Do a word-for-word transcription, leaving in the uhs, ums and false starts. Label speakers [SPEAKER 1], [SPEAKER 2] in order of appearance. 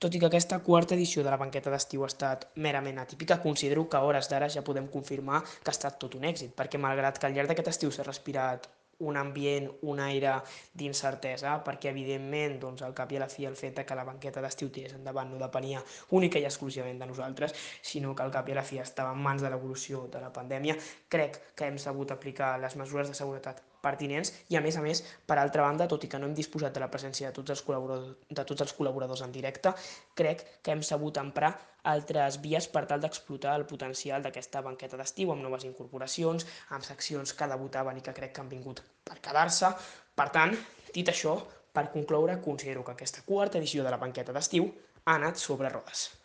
[SPEAKER 1] Tot i que aquesta quarta edició de la banqueta d'estiu ha estat merament atípica, considero que a hores d'ara ja podem confirmar que ha estat tot un èxit, perquè malgrat que al llarg d'aquest estiu s'ha respirat un ambient, un aire d'incertesa, perquè evidentment doncs, al cap i a la fi el fet de que la banqueta d'estiu tirés endavant no depenia única i exclusivament de nosaltres, sinó que al cap i a la fi estava en mans de l'evolució de la pandèmia, crec que hem sabut aplicar les mesures de seguretat pertinents i a més a més, per altra banda, tot i que no hem disposat de la presència de tots els col·laboradors, de tots els col·laboradors en directe, crec que hem sabut emprar altres vies per tal d'explotar el potencial d'aquesta banqueta d'estiu amb noves incorporacions, amb seccions que debutaven i que crec que han vingut per quedar-se. Per tant, dit això, per concloure, considero que aquesta quarta edició de la banqueta d'estiu ha anat sobre rodes.